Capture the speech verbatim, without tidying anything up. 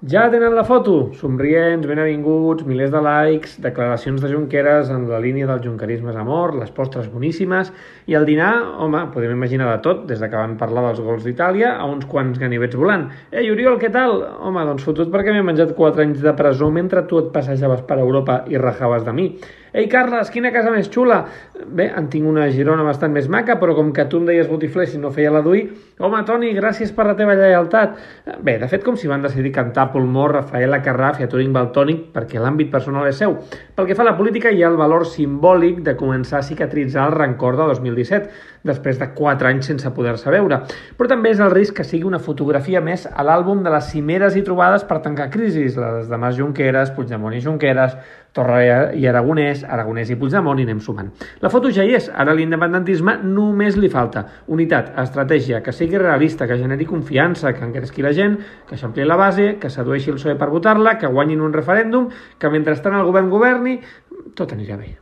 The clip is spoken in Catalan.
Ja tenen la foto, somrients, benvinguts, milers de likes, declaracions de Junqueras en la línia del junquerisme és amor, les postres boníssimes, i el dinar, home, podem imaginar de tot, des de que van parlar dels gols d'Itàlia a uns quants ganivets volant. Ei, Oriol, què tal? Home, doncs fotut perquè m'he menjat quatre anys de presó mentre tu et passejaves per Europa i rajaves de mi. Ei, Carles, quina casa més xula! Bé, en tinc una a Girona bastant més maca, però com que tu em deies botifler si no feia la d'ull, home, Toni, gràcies per la teva lleialtat. Bé, de fet, com si van decidir cantar pulmó, Rafaela Carrà, Featuring Valtònic, perquè l'àmbit personal és seu. Pel que fa a la política, hi ha el valor simbòlic de començar a cicatritzar el rancor de dos mil disset, després de quatre anys sense poder-se veure. Però també és el risc que sigui una fotografia més a l'àlbum de les cimeres i trobades per tancar crisis, les de Mas Junqueras, Puigdemont i Junqueras, Torra i Aragonès, Aragonès i Puigdemont, i anem sumant. La foto ja hi és, ara l'independentisme només li falta unitat, estratègia, que sigui realista, que generi confiança, que engresqui la gent, que s'ampli la base, que sedueixi el P S O E per votar-la, que guanyin un referèndum, que mentrestant el govern governi, tot anirà bé.